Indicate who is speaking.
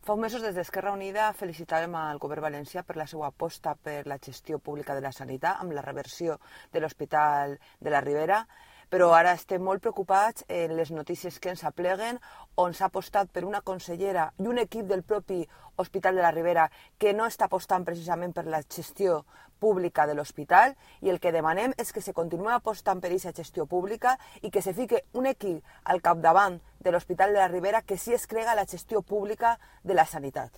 Speaker 1: Fa uns mesos, des d'Esquerra Unida, felicitàvem al govern valencià per la seva aposta per la gestió pública de la sanitat amb la reversió de l'Hospital de la Ribera, però ara estem molt preocupats en les notícies que ens apleguen, on s'ha apostat per una consellera i un equip del propi Hospital de la Ribera que no està apostant precisament per la gestió pública de l'hospital, i el que demanem és que se continuï apostant per aquesta gestió pública i que se fique un equip al capdavant de l'Hospital de la Ribera que sí es crega la gestió pública de la sanitat.